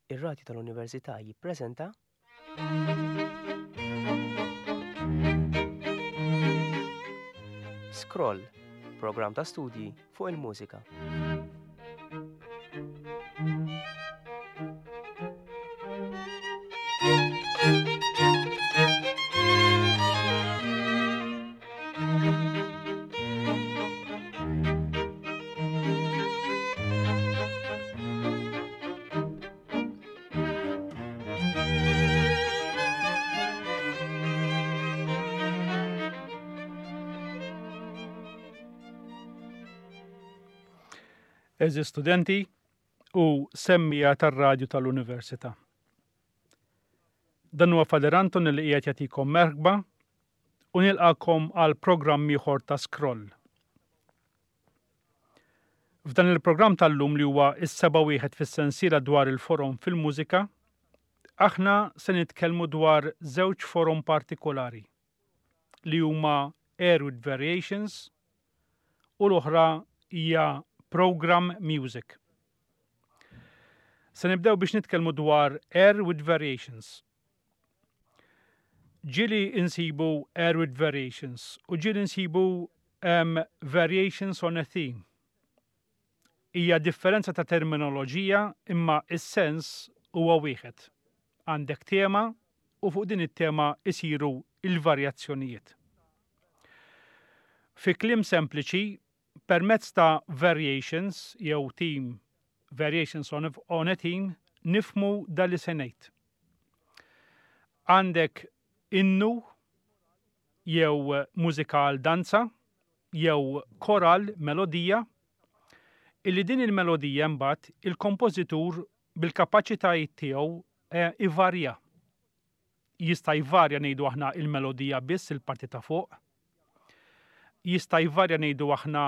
Ir-Radju tal-Università jippreżenta. Scroll, programm ta' studji fuq il-mużika. Eżi studenti u semmija tar-radju tal-Università. Dan huwa Fader Anton li qiegħed jagħtikom merħba u nilqakom għal programm ieħor ta' Scroll. F'dan il-programm tal-lum li huwa s-seba' wieħed fis-sensiela dwar il-forom fil-mużika, aħna se nitkellmu dwar żewġ forom partikolari li huma Air with Variations u l-oħra hija Program Music. Se nibdew biex nitkellmu dwar Air with Variations. Ġieli insibu Air with Variations u ġieli nsibu um, Variations on a Theme. Hija differenza ta' terminoloġija imma is-sens huwa wieħed. Għandek tema u fuq din it-tema isiru il-varjazzjonijiet. Fi kliem sempliċi, permezz ta' variations jew theme variations on a, on a theme nifmu da li se ngħid. Għandek innu jew mużika għal danza jew koral melodija illi din il-melodija mbagħad il-kompożitur bil-kapaċitajiet tiegħu eh, ivarja. Jista' jvarja ngħidu aħna il-melodija biss il-parti ta' fuq. Jista' jvarja ngħidu aħna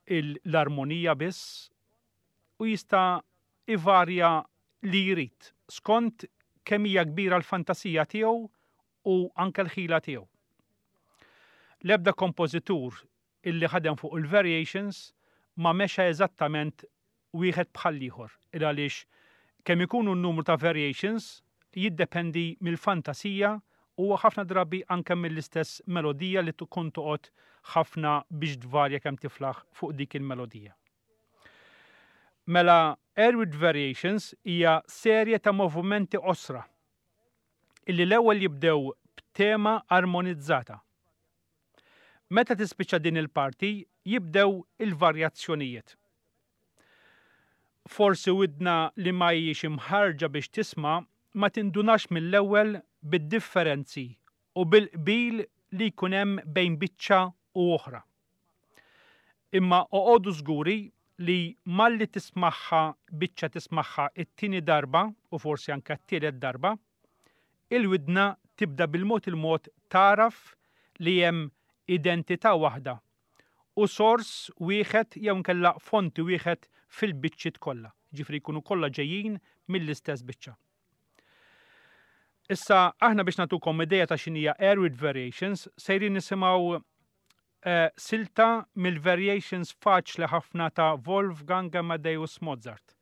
l-armonija biss u jista' ivarja li jrid skont kemm hija kbira l-fantasija tiegħu u anke l-ħila tiegħu. L-ebda kompożitur illi ħadem fuq il-variations ma mexa eżattament wieħed bħall-ieħor, il-għaliex kemm ikunu n-numru ta' variations jiddependi mill-fantasija u ħafna drabi anke mill-istess melodija li tkun toqgħod ħafna biex tvarja kemm tiflaħ fuq dik il-melodija. Mela Air with Variations hija serje ta' movimenti qosra illi l-ewwel jibdew b'tema armonizzata. Meta tispiċċa din il-parti jibdew il-varjazzjonijiet. Forsi widna li ma hijiex imħarrġa biex tisma' ma tindunax mill-ewwel bid-differenzi u bil-qbil li jkun hemm bejn biċċa u oħra. Imma oqogħdu żguri li malli tismagħha biċċa tismagħha t-tieni darba u forsi anke t-tielet darba, il-widna tibda bil-mod il-mod tagħraf li hemm identità waħda u sors wieħed jew inkella fonti wieħed fil-biċċiet kollha, jiġifieri jkunu kollha ġejjin mill-istess biċċa. Issa aħna biex nagħtukom idea ta' x'inhija Air with Variations sejrin nisimgħu eh, silta mill-variations faċli ħafna ta' Wolfgang Amadeus Mozart.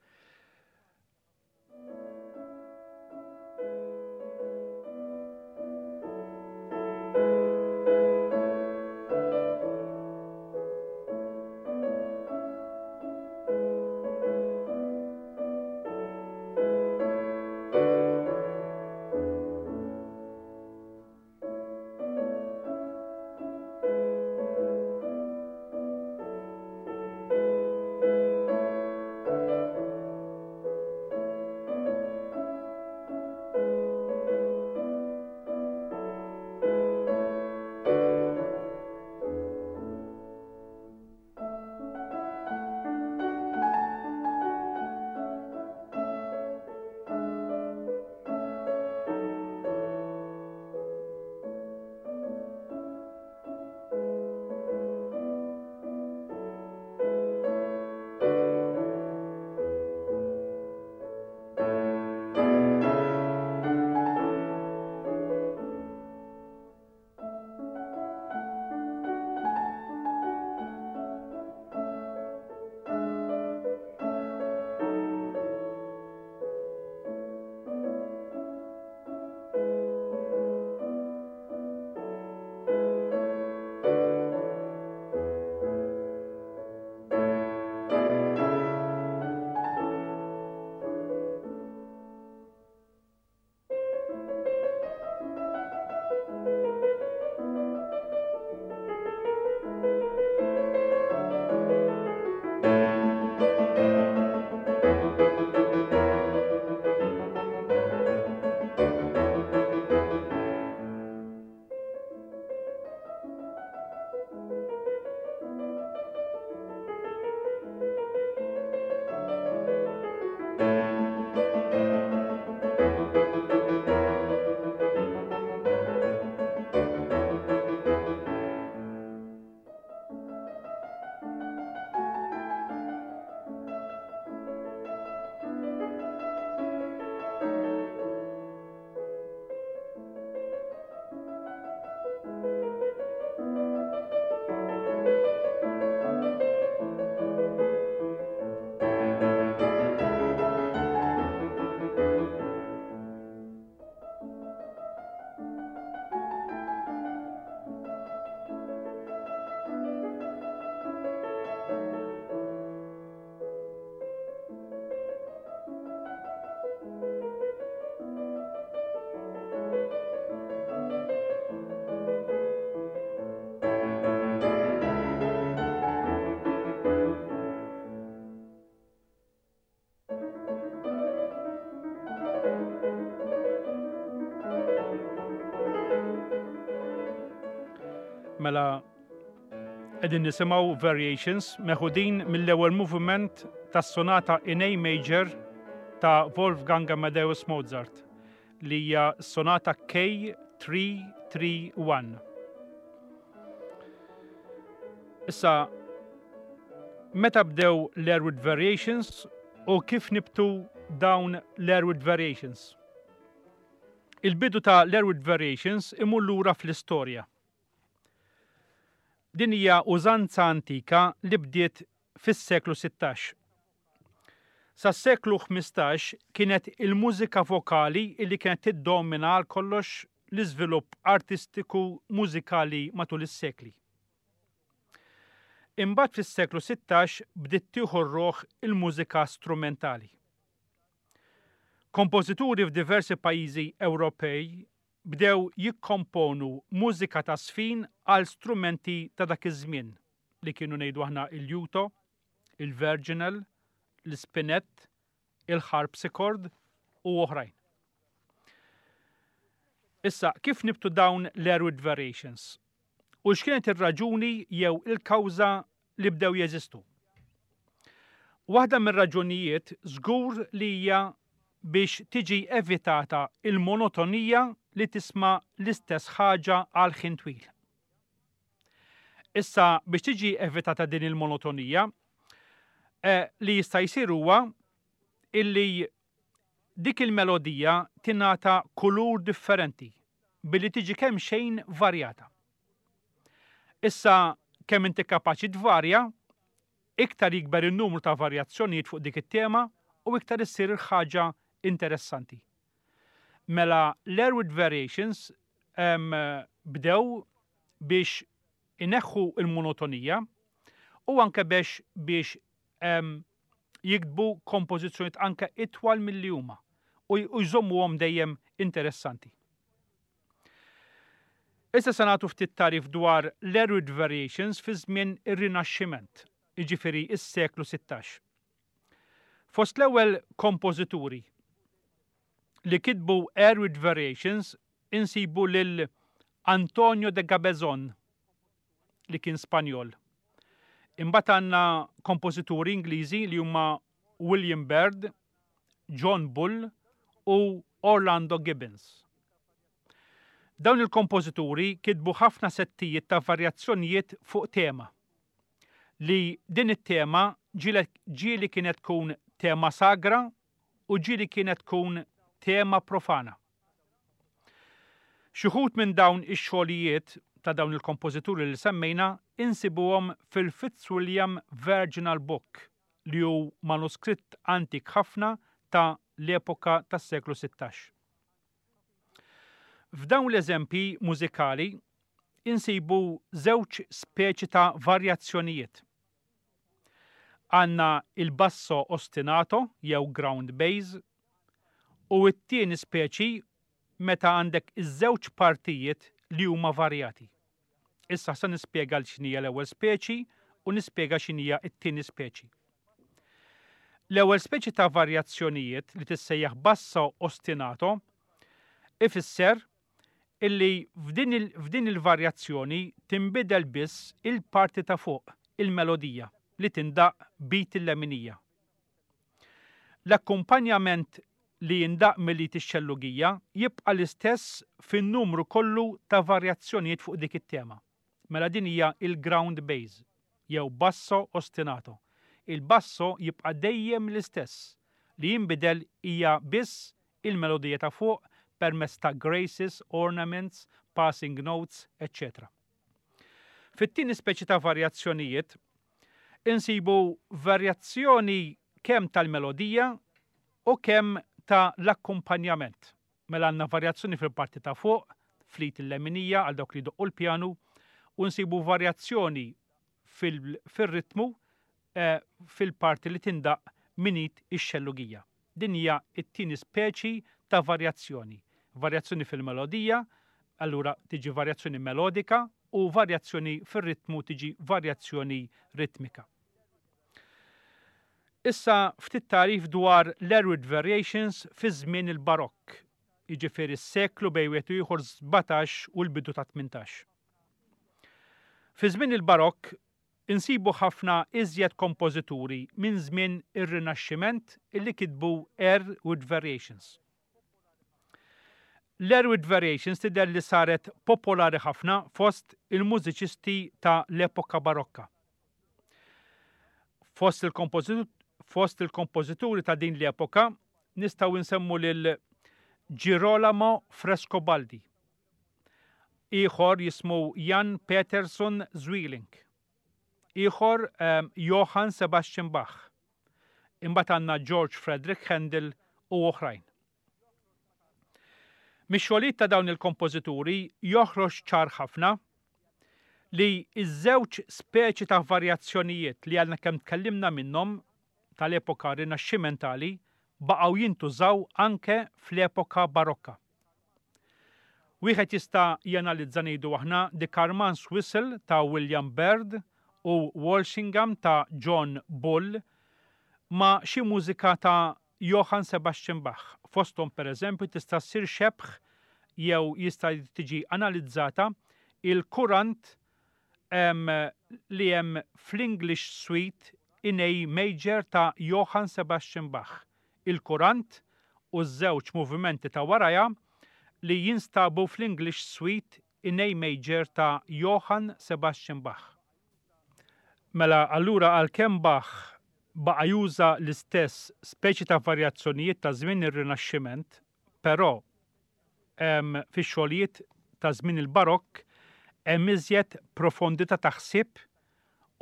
Mela qegħdin nisimgħu variations meħudin mill-ewwel moviment tas-sonata in A major ta' Wolfgang Amadeus Mozart li hija sonata K331. Issa meta bdew l-Airwood Variations u kif nibtu dawn l-Airwood Variations? Il-bidu ta' l-Airwood Variations imur lura fl-istorja. Din hija użanza antika li bdiet fis-seklu 16. Sas-seklu 15 kienet il-mużika vokali li kienet tiddomina għal kollox l-iżvilupp artistiku mużikali matul is-sekli. Imbagħad fis-seklu 16 bdiet tieħu r-ruħ il-mużika strumentali. Kompożituri f'diversi pajjiżi Ewropej bdew jikkomponu mużika ta' żfin għal strumenti ta' dak iż-żmien li kienu ngħidu aħna il-liuto, il-virginal, l-ispinett, il-harpsichord u oħrajn. Issa, kif nibtu dawn l-Airwood Variations? U x'kienet ir-raġuni jew il-kawża li bdew jeżistu? Waħda mir-raġunijiet żgur li hija biex tiġi evitata il-monotonija li tisma' l-istess ħaġa għal ħin twil. Issa biex tiġi evitata din il-monotonija, eh, li jista' jsir huwa illi dik il-melodija tingħata kulur differenti billi tiġi kemxejn varjata. Issa kemm inti kapaċi tvarja, iktar jikber in-numru ta' varjazzjonijiet fuq dik it-tema u iktar issir il-ħaġa interessanti. Mela l-Airwood Variations bdew biex ineħħu il-monotonija u anke biex biex jiktbu kompożizzjonijiet anke itwal milli huma u jżommuhom dejjem interessanti. Issa se nagħtu ftit tagħrif dwar l-Airwood Variations fi żmien ir-Rinaxximent, jiġifieri s-seklu 16. Fost l-ewwel kompożituri li kitbu Airwood Variations insibu lil Antonio de Cabezón li kien Spanjol. Imbagħad għandna kompożituri Ingliżi li huma William Byrd, John Bull u Orlando Gibbons. Dawn il-kompożituri kitbu ħafna settijiet ta' varjazzjonijiet fuq tema. Li din it-tema ġieli kienet tkun tema sagra u ġieli kienet tkun tema profana. Xi wħud minn dawn ix-xogħlijiet ta' dawn il-kompożituri li semmejna insibuhom fil-Fitzwilliam Virginal Book li hu manuskritt antik ħafna ta' l-epoka tas-seklu 16. F'dawn l-eżempji mużikali insibu żewġ speċi ta' varjazzjonijiet. Għandna il-basso ostinato jew ground bass u t-tieni speċi meta għandek iż-żewġ partijiet li huma varjati. Issa se nispjega x'inhija l-ewwel speċi u nispjega x'inhija t-tieni speċi. L-ewwel speċi ta' varjazzjonijiet li tissejjaħ basso ostinato ifisser illi f'din il-varjazzjoni tinbidel biss il-parti ta' fuq, il-melodija, li tindaqq b'id il-leminija. L-akkumpanjament li jindaqq mill-id ix-xellugija jibqa' l-istess fin-numru kollu ta' varjazzjonijiet fuq dik it-tema. Mela din hija l-ground bass, jew basso ostinato. Il-basso jibqa' dejjem l-istess, li jinbidel hija biss il-melodija ta' fuq permezz ta' graces, ornaments, passing notes, eċċetera. Fit-tieni speċi ta' varjazzjonijiet, insibu varjazzjoni kemm tal-melodija u kemm ta' l-akkumpanjament. Mela għandna varjazzjoni fil-parti ta' fuq, fl-id il-leminija għal dawk li jdoqqu l-pjanu, u nsibu varjazzjoni fil-ritmu eh, fil-parti li tindaq minn id ix-xellugija. Din hija t-tieni speċi ta' varjazzjoni. Varjazzjoni fil-melodija, allura tiġi varjazzjoni melodika u varjazzjoni fir-ritmu tiġi varjazzjoni ritmika. Issa ftit tagħrif dwar l-Airwood Variations fi żmien il-Barokk, jiġifieri s-seklu bejn wieħed u ieħor 17 u l-bidu ta' 18. Fi żmien il-Barokk insibu ħafna iżjed kompożituri minn żmien ir-Rinaxximent illi kitbu Air with Variations. L-Air with Variations tidher li saret popolari ħafna fost il-mużiċisti ta' l-epoka Barokka. Fost il-kompożituri ta' din l-epoka nistgħu nsemmu lil Girolamo Frescobaldi. Ieħor jismu Jan Peterson Zwieling. Ieħor ehm, Johann Sebastian Bach. Imbagħad għandna George Frederick Handel u oħrajn. Mix-xogħlijiet ta' dawn il-kompożituri joħroġ ċar ħafna li ż-żewġ speċi ta' varjazzjonijiet li għadna kemm tkellimna minnhom tal-epoka Rinaxximentali baqgħu jintużaw anke fl-epoka Barokka. Wieħed jista' janalizza ngħidu aħna The Carman's Whistle ta' William Byrd u Walsingham ta' John Bull ma' xi mużika ta' Johann Sebastian Bach. Fosthom pereżempju tista' ssir xebh jew jista' tiġi analizzata il-kurant li hemm fl-English Suite in A Major ta' Johann Sebastian Bach. Il-kurant u ż-żewġ movimenti ta' warajha li jinstabu fl-English Suite in A Major ta' Johann Sebastian Bach. Mela allura għalkemm Bach baqa' juża l-istess speċi ta' varjazzjonijiet ta' żmien ir-Rinaxximent, però fix-xogħlijiet ta' żmien il-Barokk hemm iżjed profondità ta' ħsieb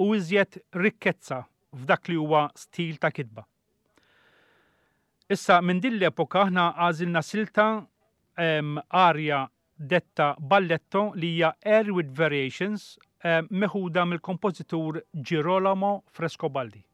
u iżjed rikkezza f'dak li huwa stil ta' kitba. Issa minn din l-epoka aħna għażilna silta arja detta balletto li hija Air with Variations meħuda mill-kompożitur Girolamo Frescobaldi.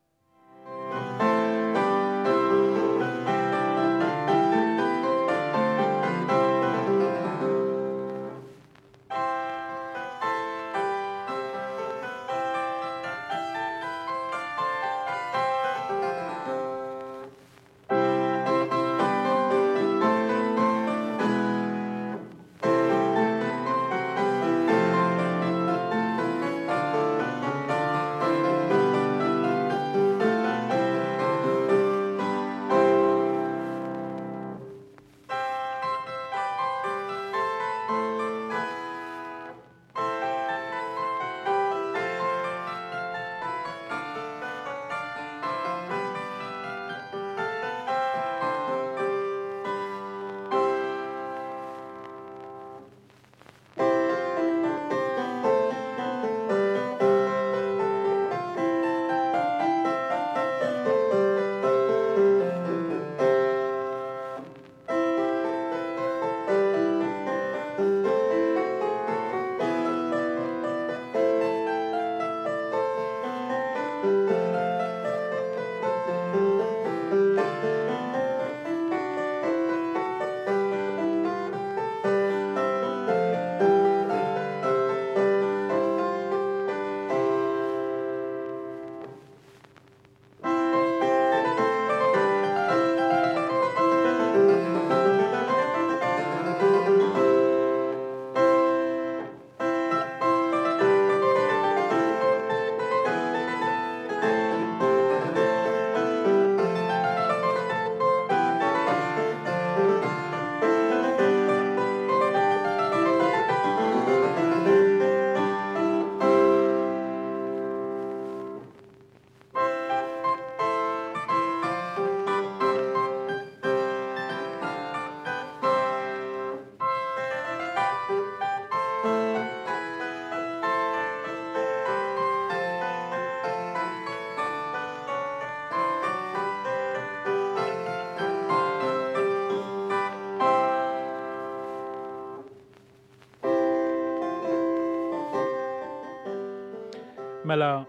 Mela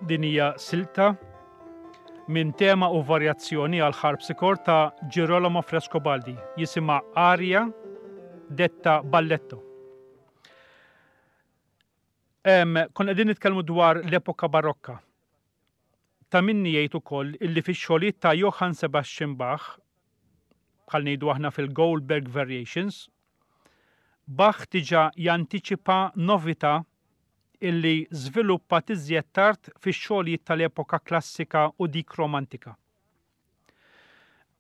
din hija silta minn tema u varjazzjoni għal harpsichord ta' Girolamo Frescobaldi jisimha Aria detta Balletto. Konna qegħdin nitkellmu dwar l-epoka Barokka. Ta' minni jgħid ukoll illi fix-xogħlijiet ta' Johann Sebastian Bach, bħal ngħidu aħna fil-Goldberg Variations, Bach diġà jantiċipa novità. illi żviluppat iżjed tard fix-xogħlijiet tal-epoka klassika u dik romantika.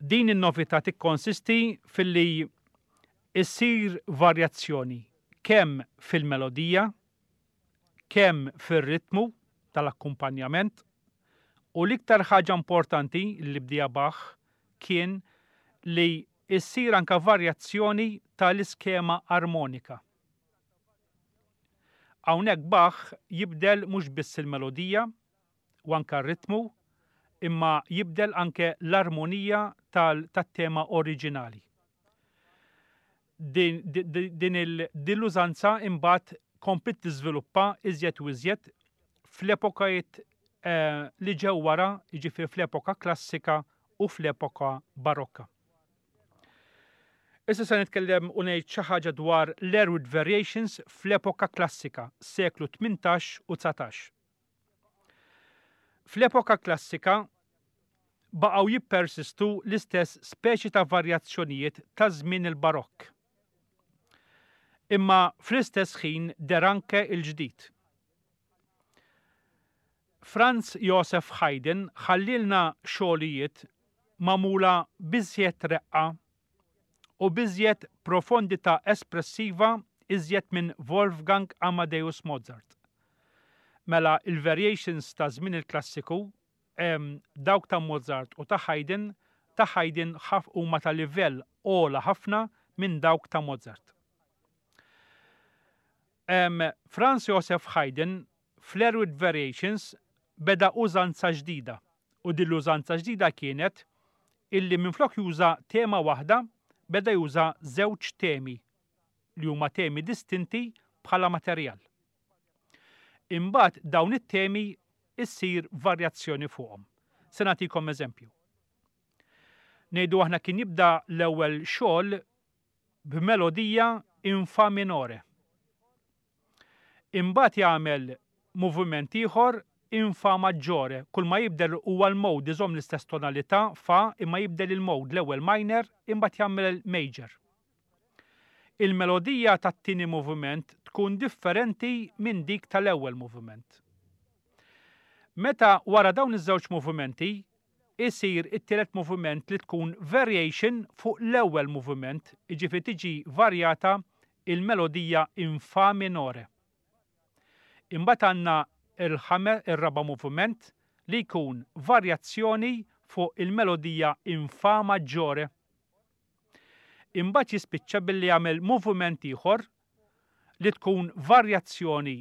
Din in-novità tikkonsisti filli issir varjazzjoni kemm fil-melodija, kemm fir-ritmu tal-akkumpanjament u l-iktar ħaġa importanti li bdieha Bach kien li issir anke varjazzjoni tal-iskema armonika. Hawnhekk Bach jibdel mhux biss il-melodija u anke r-ritmu, imma jibdel anke l-armonija tat-tema oriġinali. Din, din, din l-użanza imbagħad kompliet tiżviluppa iżjed u iżjed fl-epokajiet eh, li ġew wara, jiġifieri fl-epoka klassika u fl-epoka barokka. Issa se nitkellem u ngħid xi ħaġa dwar l-Erwitt Variations fl-epoka klassika, seklu 18 u 19. Fl-epoka klassika baqgħu jippersistu l-istess speċi ta' varjazzjonijiet ta' żmien il-Barokk. Imma fl-istess ħin deher anke l-ġdid. Franz Josef Haydn ħallielna xogħlijiet magħmula b'iżjed reqqa u b'iżjed profondità espressiva iżjed minn Wolfgang Amadeus Mozart. Mela il-variations ta' żmien il-klassiku, dawk ta' Mozart u ta' Haydn, ta' Haydn huma ta' livell ogħla ħafna minn dawk ta' Mozart. Franz Josef Haydn fl-Erwitt Variations beda użanza ġdida u din l-użanza ġdida kienet illi minflok juża tema waħda beda juża żewġ temi li huma temi distinti bħala materjal. Imbagħad dawn it-temi issir varjazzjoni fuqhom. Se nagħtikom eżempju. Ngħidu aħna kien jibda l-ewwel xogħol b'melodija in fa minore. Imbagħad jagħmel moviment ieħor in fa maggiore, kull ma jibdel huwa l-mode, iżomm l-istess tonalità fa imma jibdel il-mode l-ewwel minor imbagħad jagħmel major. Il-melodija tat-tieni moviment tkun differenti minn dik tal-ewwel moviment. Meta wara dawn iż-żewġ movimenti isir it-tielet moviment li tkun variation fuq l-ewwel moviment, jiġifieri tiġi varjata il-melodija in fa minore. Imbagħad għandna ir-raba' moviment li jkun varjazzjoni fuq il-melodija in fa maggiore. Imbagħad jispiċċa billi jagħmel moviment ieħor li tkun varjazzjoni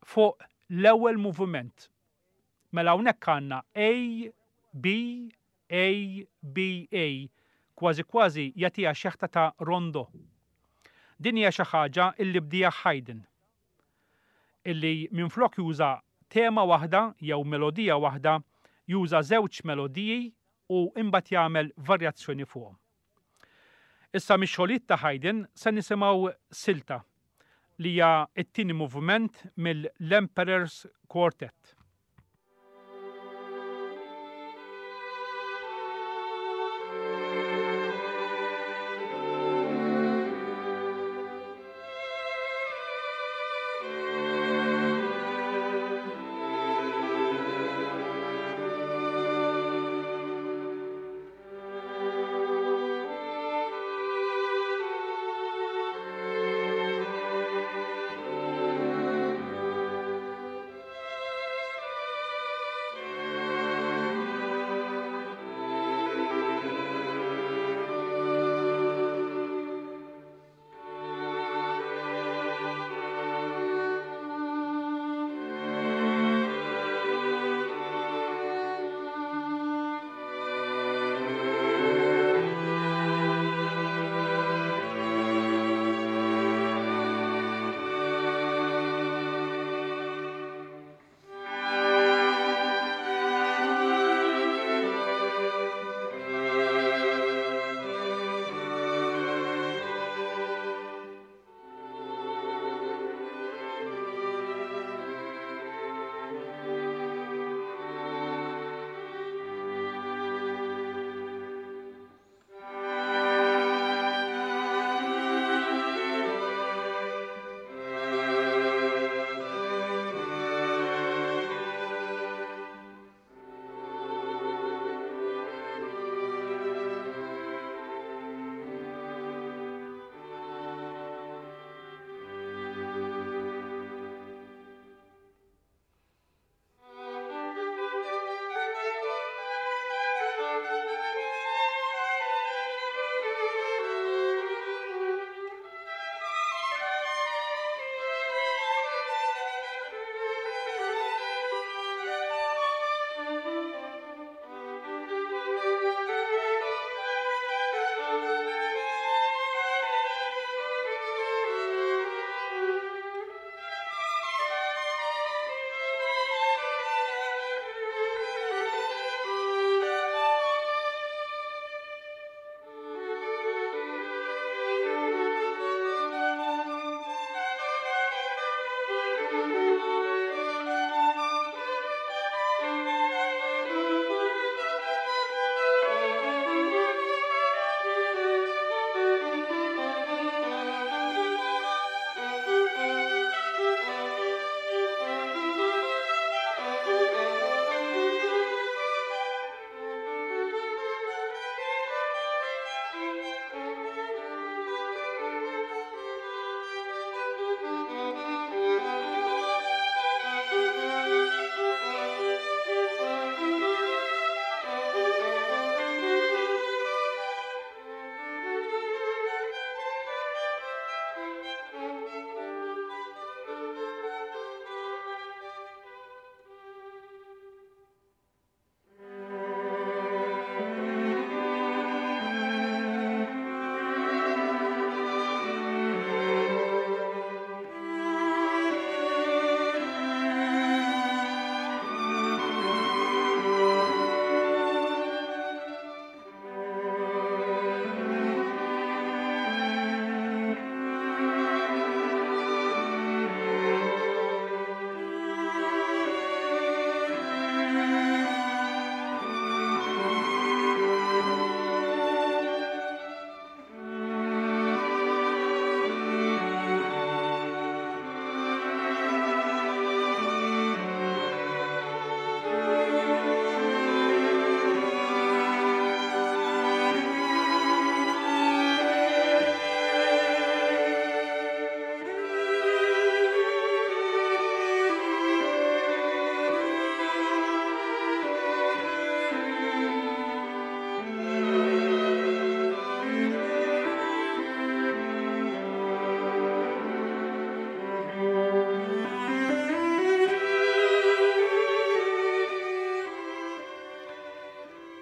fuq l-ewwel moviment. Mela hawnhekk għandna A, B, A, B, A, kważi kważi jagħtiha xeħta ta' rondo. Din hija xi ħaġa illi bdieha Haydn, illi minflok juża tema waħda jew melodija waħda, juża żewġ melodiji u imbagħad jagħmel varjazzjoni fuqhom. Issa mix-xogħlijiet ta' Haydn se nisimgħu silta li hija t-tieni moviment mill-Emperor's Quartet.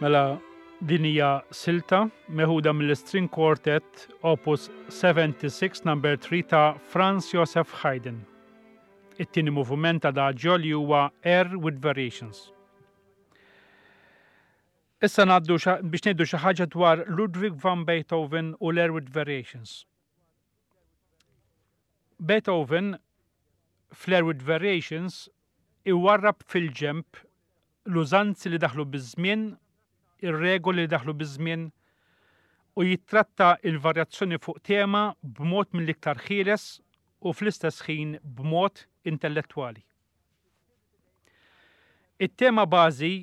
Mela din hija silta meħuda mill-String Quartet Opus 76 Number 3 ta' Franz Joseph Haydn. It-tieni moviment adagio li huwa Air with Variations. Issa ngħaddu biex ngħidu xi ħaġa dwar Ludwig van Beethoven u l-Air with Variations. Beethoven fl-Air with Variations iwarrab fil-ġenb l-użanzi li daħlu biż-żmien, ir-regoli li daħlu biż-żmien u jittratta l-varjazzjoni fuq tema b'mod mill-iktar ħieles u fl-istess ħin b'mod intellettwali. It-tema bażi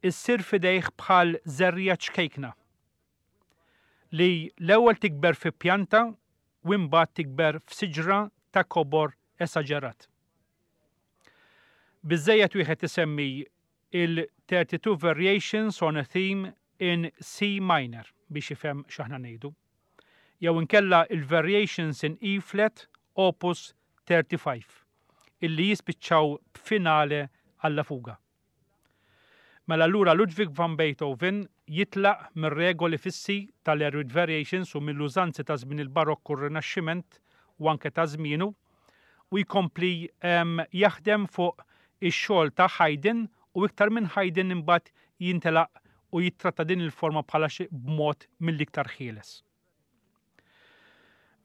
ssir f'idejh bħal żerriegħa ċkejkna li l-ewwel tikber fi pjanta u imbagħad tikber f'siġra ta' kobor esaġerat. Biżżejjed wieħed isemmi il-32 Variations on a Theme in C Minor biex jifhem x'aħna ngħidu. Jew inkella il-Variations in E Flat Opus 35 illi jispiċċaw b'finale alla fuga. Mela allura Ludwig van Beethoven jitlaq mir-regoli fissi tal-Air Variations u mill-użanzi ta' żmien il-Barokk u r-Rinaxximent u anke ta' żmienu u jkompli jaħdem fuq ix-xogħol ta' Haydn u iktar minn Haydn imbagħad jintelaq u jittratta din il-forma bħala xi b'mod mill-iktar ħieles.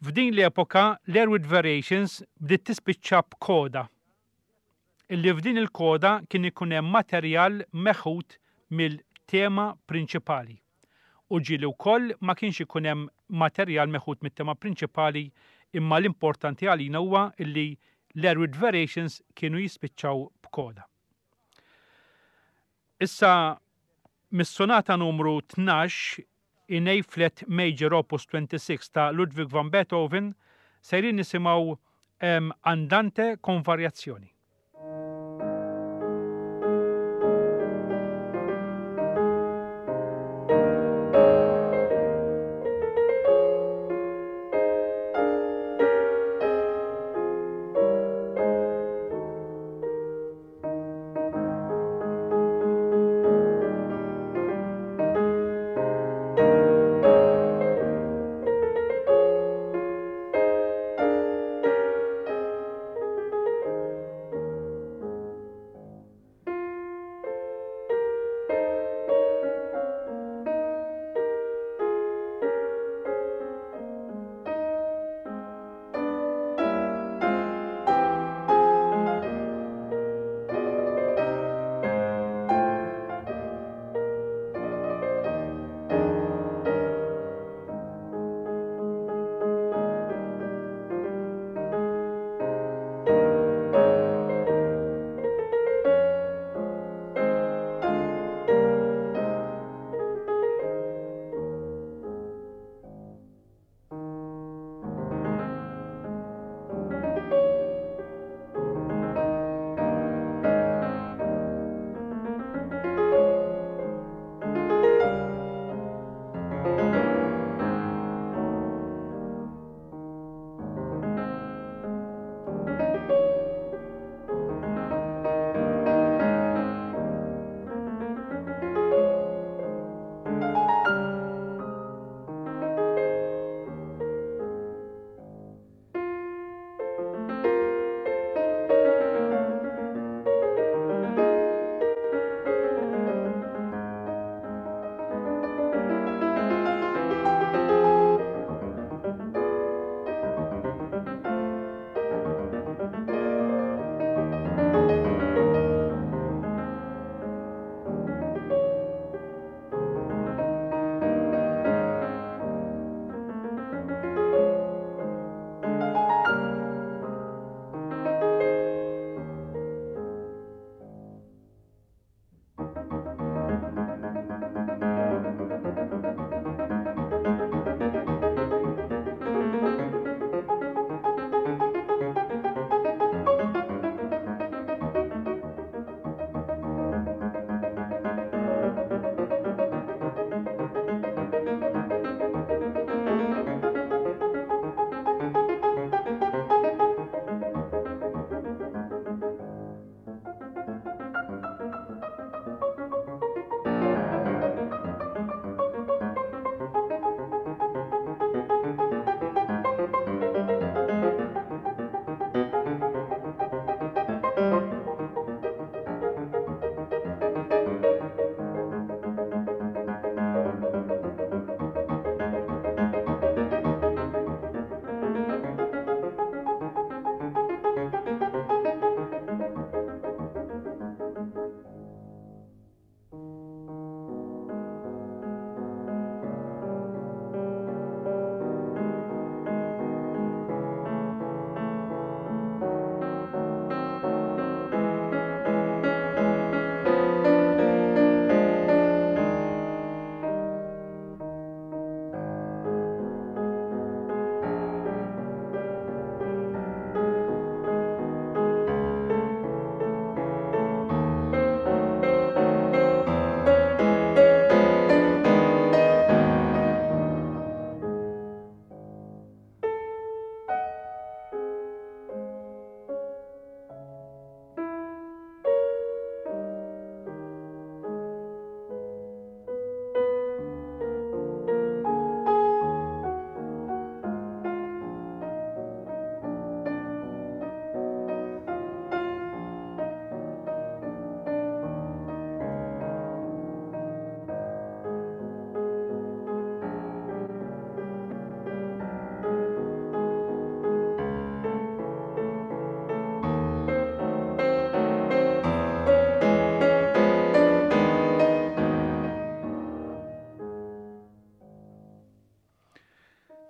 F'din l-epoka l-Air with Variations bdiet tispiċċa b'koda illi f'din il-koda kien ikun hemm materjal meħud mill-tema prinċipali u ġieli wkoll ma kienx ikun hemm materjal meħud mit-tema prinċipali imma l-importanti għalina huwa illi l-Air with Variations kienu jispiċċaw b'koda. Issa mis-sonata numru 12 in A flat major opus 26 ta' Ludwig van Beethoven sejrin nisimgħu Andante con variazioni.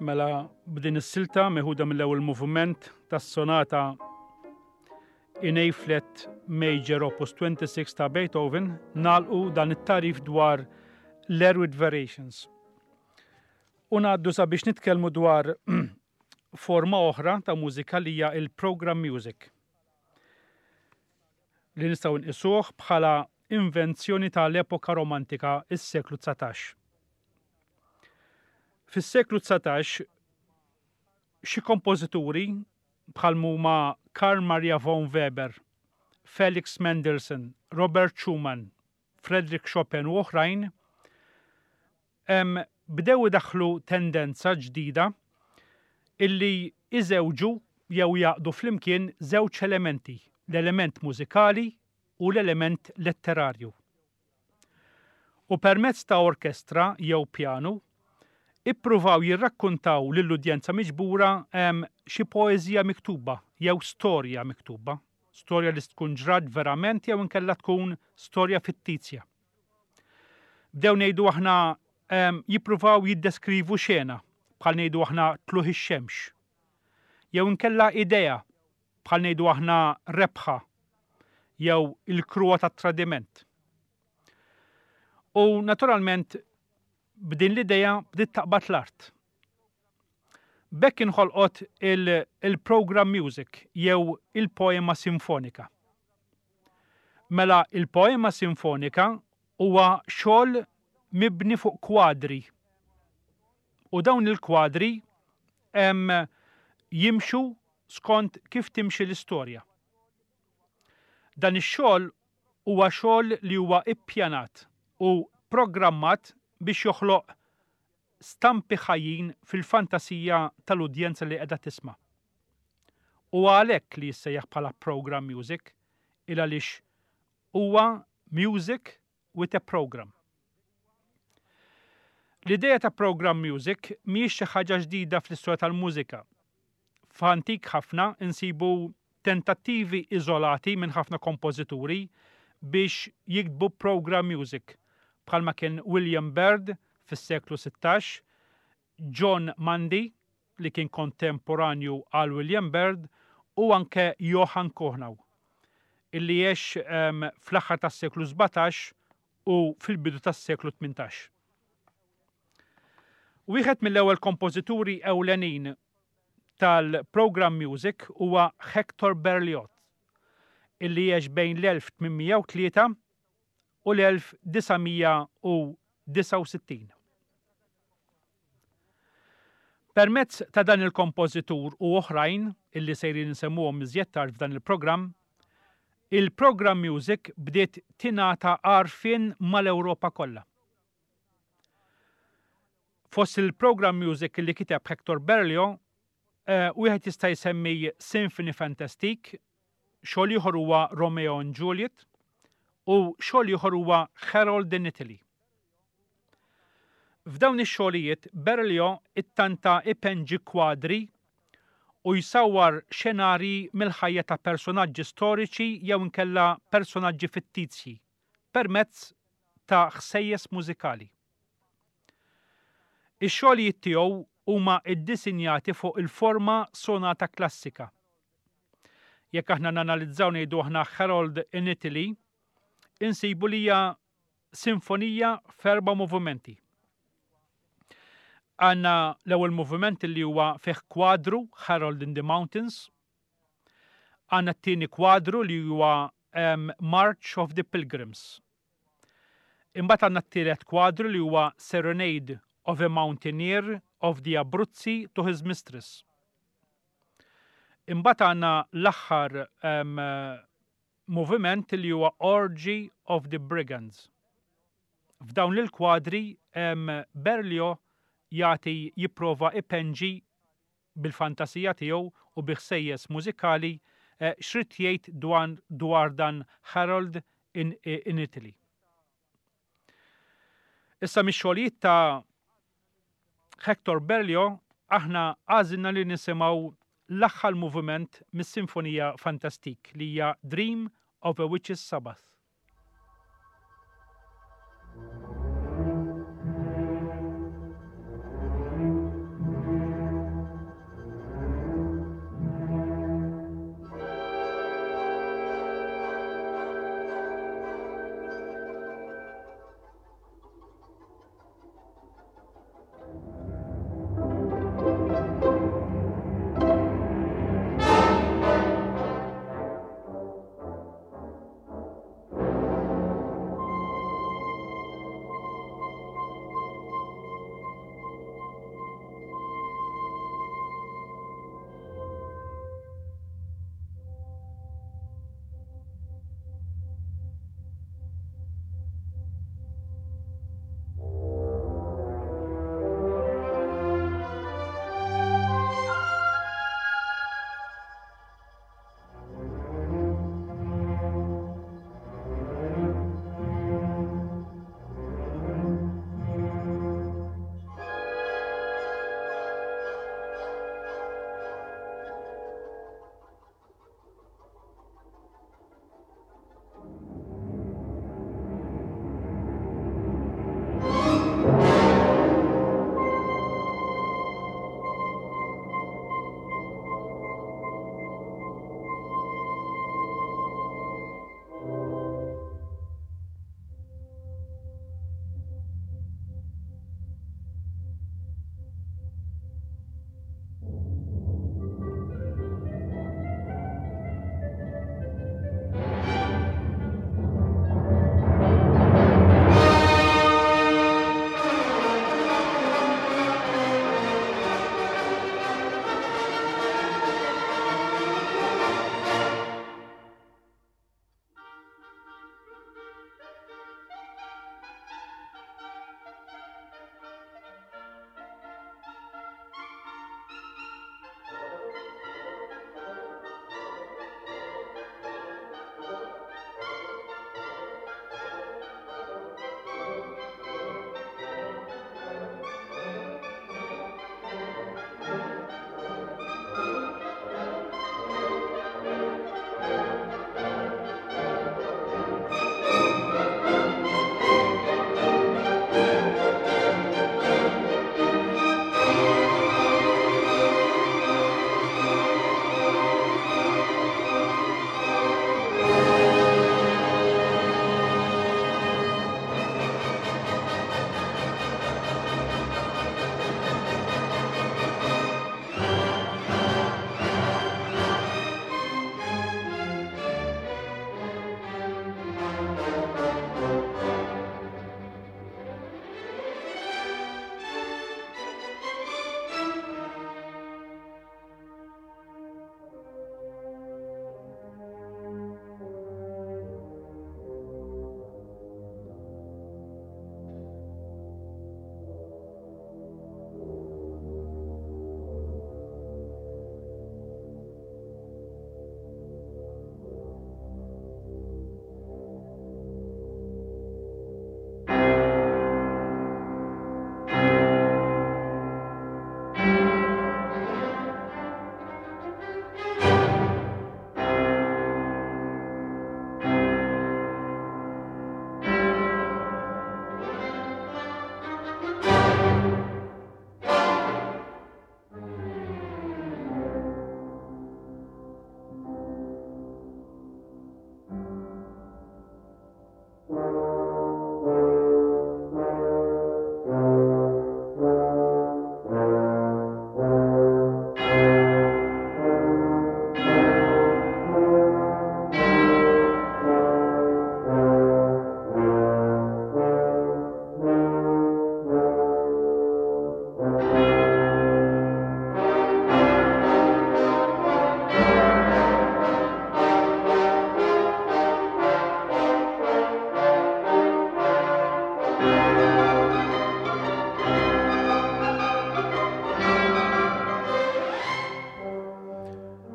Mela b'din is-silta meħuda mill-ewwel moviment tas-sonata in A flat major opus 26 ta' Beethoven nagħlqu dan it-tagħrif dwar l-Air with Variations. U ngħaddu sabiex nitkellmu dwar forma oħra ta' mużika li hija il-program music li nistgħu nqisuh bħala invenzjoni tal-epoka romantika is-seklu 19. Fis-seklu 19 xi kompożituri bħal huma Carl Maria von Weber, Felix Mendelssohn, Robert Schumann, Frederick Chopin u oħrajn bdew idaħħlu tendenza ġdida illi iżewġu jew jgħaqqdu flimkien żewġ elementi, l-element mużikali u l-element letterarju. U permezz ta' orkestra jew pjanu, ippruvaw jirrakkuntaw lill-udjenza miġbura xi poeżija miktuba jew storja miktuba, storja li tkun ġrat verament jew inkella tkun storja fittizja. Bdew ngħidu aħna jippruvaw jiddeskrivu xena bħal ngħidu aħna tluħ ix-xemx. Jew inkella idea bħal ngħidu aħna rebħa jew il-kruha tat-tradiment. U naturalment b'din l-idea bdiet taqbad l-art. B'hekk inħolqot il-program music jew il-poema sinfonika. Mela il-poema sinfonika huwa xogħol mibni fuq kwadri. U dawn il-kwadri jimxu skont kif timxi l-istorja. Dan ix-xogħol huwa xogħol li huwa ippjanat u programmat biex joħloq stampi ħajjin fil-fantasija tal-udjenza li qiegħda tisma'. Huwa għalhekk li jissejjaħ bħala program music il għaliex huwa music with a program. L-idea ta' program music mhijiex xi ħaġa ġdida fl-istorja tal-mużika. F'antik ħafna insibu tentattivi iżolati minn ħafna kompożituri biex jiktbu program music, bħalma kien William Byrd fis-seklu 16, John Mundy li kien kontemporanju għal William Byrd u anke Johann Kuhnau, illi għex fl-aħħar tas-seklu 17 u fil-bidu tas-seklu 18. Wieħed mill-ewwel kompożituri ewlenin tal-program music huwa Hector Berlioz, illi għex bejn l-1803 u l-1969. Permezz ta' dan il-kompożitur u oħrajn illi sejrin insemmuhom iżjed tard f'dan il-programm, il-program music bdiet tingħata għarfien mal-Ewropa kollha. Fost il-program music li kiteb Hector Berlioz, eh, wieħed jista' jsemmi Symphony Fantastique, xogħol ieħor huwa Romeo and Juliet u xogħol ieħor huwa Harold in Italy. F'dawn ix-xogħlijiet Berlioz ittanta ipenġi kwadri u jsawwar xenarji mill-ħajja ta' personaġġi storiċi jew inkella personaġġi fittizji permezz ta' ħsejjes mużikali. Ix-xogħlijiet tiegħu huma ddisinjati fuq il-forma sonata klassika. Jekk aħna nanalizzaw ngħidu aħna Harold in Italy, insibu li hija sinfonija f'erba' movimenti. Għandna l-ewwel moviment li huwa fih kwadru Harold in the Mountains. Għandna t-tieni kwadru li huwa um, March of the Pilgrims. Imbagħad għandna t-tielet kwadru li huwa Serenade of a Mountaineer of the Abruzzi to his Mistress. Imbagħad għandna l-aħħar um, moviment li huwa Orgy of the Brigands. F'dawn il-kwadri Berlioz jagħti jipprova ipenġi bil-fantasija tiegħu u bi ħsejjes mużikali eh, x'rid jgħid dwar dan Harold in, in Italy. Issa mix-xogħlijiet ta' Hector Berlioz aħna għażilna li nisimgħu l-aħħar moviment mis-Sinfonija Fantastique li hija Dream of a Witch's Sabbath.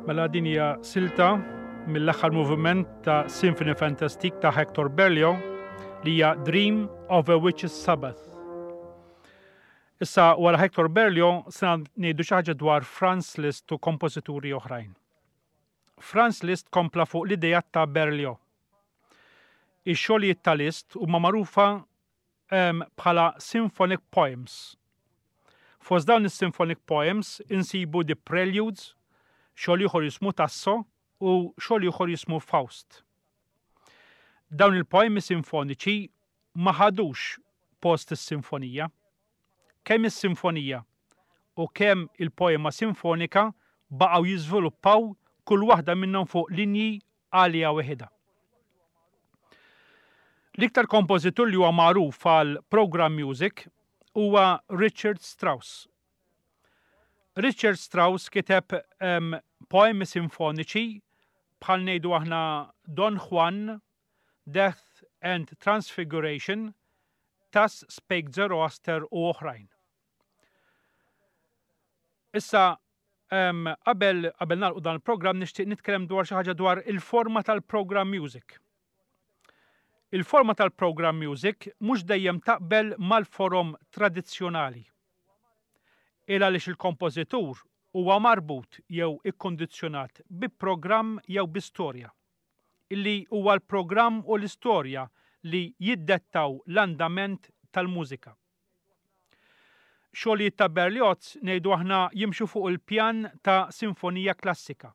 Mela din hija silta mill-aħħar moviment ta' Symphony Fantastique ta' Hector Berlioz li hija Dream of a Witch's Sabbath. Issa wara Hector Berlioz se ngħidu xi ħaġa dwar Franz Liszt u kompożituri oħrajn. Franz Liszt kompla fuq l-ideat ta' Berlioz. Ix-xogħlijiet ta' Liszt huma magħrufa bħala symphonic poems. Fost dawn is-symphonic poems insibu The Preludes, xogħol ieħor jismu Tasso u xogħol ieħor jismu Faust. Dawn il-poemi sinfoniċi ma ħadux post is-sinfonija. Kemm is-sinfonija u kemm il-poema sinfonika baqgħu jiżviluppaw kull waħda minnhom fuq linji għaliha weħidha. L-iktar kompożitur li huwa magħruf għal program music huwa Richard Strauss. Richard Strauss kiteb um, poemi sinfoniċi bħal ngħidu aħna Don Juan, Death and Transfiguration, Thus Spake Zoroaster u oħrajn. Issa Qabel qabel nagħlqu dan il-programm nixtieq nitkellem dwar xi ħaġa dwar il-forma tal-program music. Il-forma tal-program music mhux dejjem taqbel mal-forom tradizzjonali. Il għaliex il-kompożitur huwa marbut jew ikkundizzjonat bi programm jew bi storja. Illi huwa l-programm u l-istorja li jiddettaw l-andament tal-mużika. Xogħlijiet ta' Berlioz ngħidu aħna jimxu fuq il-pjan ta' sinfonija klassika.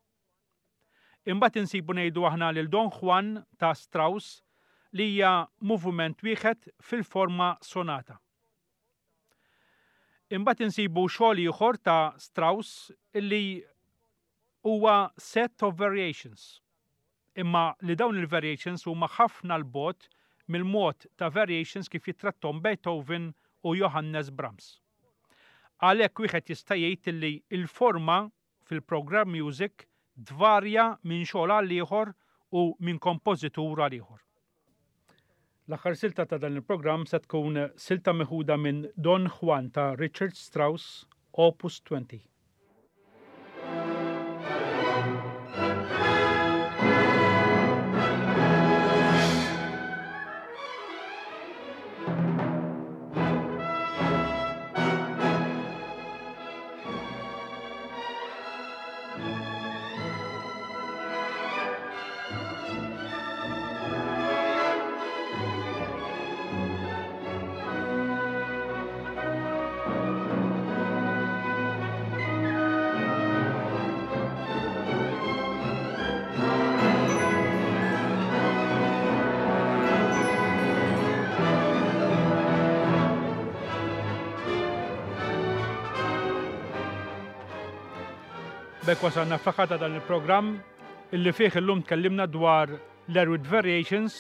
Imbagħad insibu ngħidu aħna lil Don Juan ta' Strauss li hija moviment wieħed fil-forma sonata. Imbagħad insibu xogħol ieħor ta' Strauss li huwa set of variations. Imma li dawn il-variations huma ħafna 'l bogħod mill-mod ta' variations kif jittratthom Beethoven u Johannes Brahms. Għalhekk wieħed jista' jgħid illi l-forma fil-program music tvarja minn xogħol għal ieħor u minn kompożitur għal ieħor. L-aħħar silta ta' dan il-programm se tkun silta meħuda minn Don Juan ta' Richard Strauss, Opus 20. B'hekk wasalna fl-aħħar ta' dan il-programm illi fih illum tkellimna dwar l-Erwitt Variations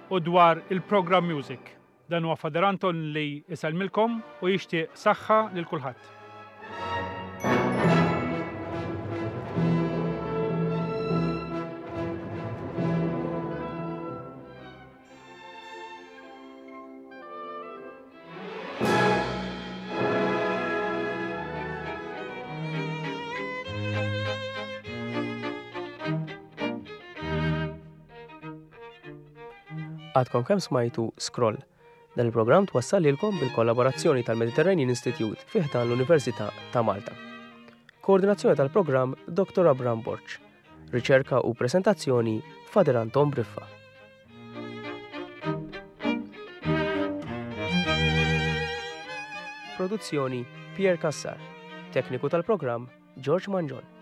u dwar il-Program Music. Dan huwa Father Anton li jsellmilkom u jixtieq saħħa lil kulħadd. Għadkom kemm smajtu Scroll. Dan il-programm twassal lilkom bil-kollaborazzjoni tal-Mediterranean Institute fi ħdan l-Università ta' Malta. Koordinazzjoni tal-programm Dr. Abram Borg. Riċerka u presentazzjoni Fader Anton Briffa. Produzzjoni Pierre Cassar. Tekniku tal-programm George Mangion.